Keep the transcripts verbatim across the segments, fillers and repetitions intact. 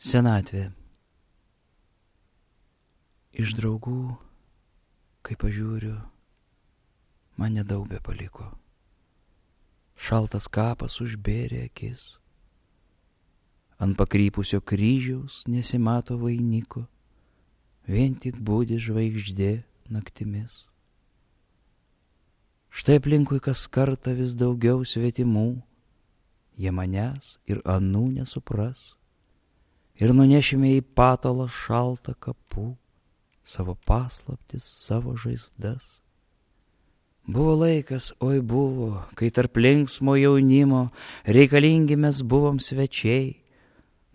Senatvė. Iš draugų, kai pažiūriu, man nedaug be paliko. Šaltas kapas užbėrė akis. Ant pakrypusio kryžiaus nesimato vainiko, vien tik budi žvaigždė naktimis. Štai aplinkui kas kartą vis daugiau svetimų, jie manęs ir anų nesupras, ir nunešime į patalą šaltą kapų, savo paslaptis, savo žaizdas. Buvo laikas, oi buvo, kai tarp linksmo jaunimo reikalingi mes buvom svečiai,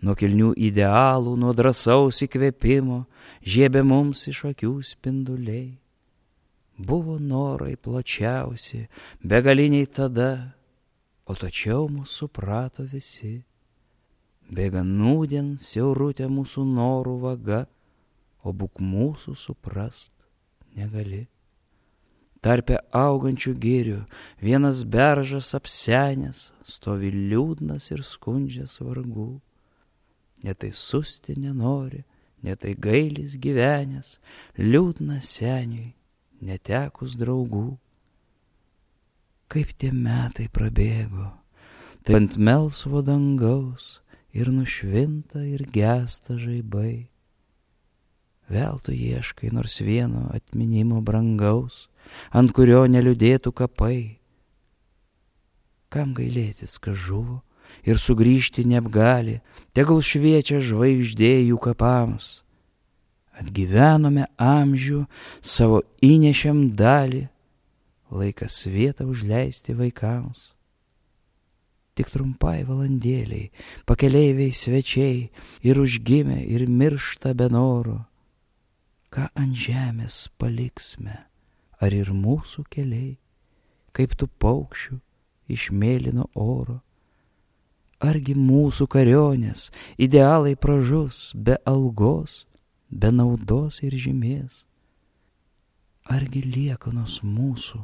nuo kilnių idealų, nuo drąsaus įkvėpimo žiebė mums iš akių spinduliai. Buvo norai plačiausi, begaliniai tada, o tačiau mūsų suprato visi. Bėga nūdien siaurutė mūsų norų vaga, o būk mūsų suprast negali. Tarpe augančių girių vienas beržas apsenęs stovi liūdnas ir skundžias vargų. Ne tai susti nenori, ne tai gailis gyvenęs, liūdnas seniui, netekus draugų. Kaip tie metai prabėgo, tai ant melsvo dangaus ir nušvinta ir gęsta žaibai. Vėl tu ieškai nors vieno atminimo brangaus, ant kurio neliūdėtų kapai. Kam gailėtis, kas žuvo ir sugrįžti neapgali, tegul šviečia žvaigždė jų kapams. Atgyvenome amžių, savo įnešėm dalį, laikas vietą užleisti vaikams. Tik trumpai valandėliai, pakeleiviai svečiai, ir užgimė, ir miršta be noro. Ką ant žemės paliksime, ar ir mūsų keliai, kaip tų paukščių iš mėlyno oro? Argi mūsų karionės idealai pražus be algos, be naudos ir žymės? Argi liekanos mūsų,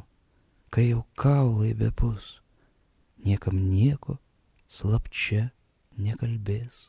kai jau kaulai bebus, niekam nieko slapčia nekalbės?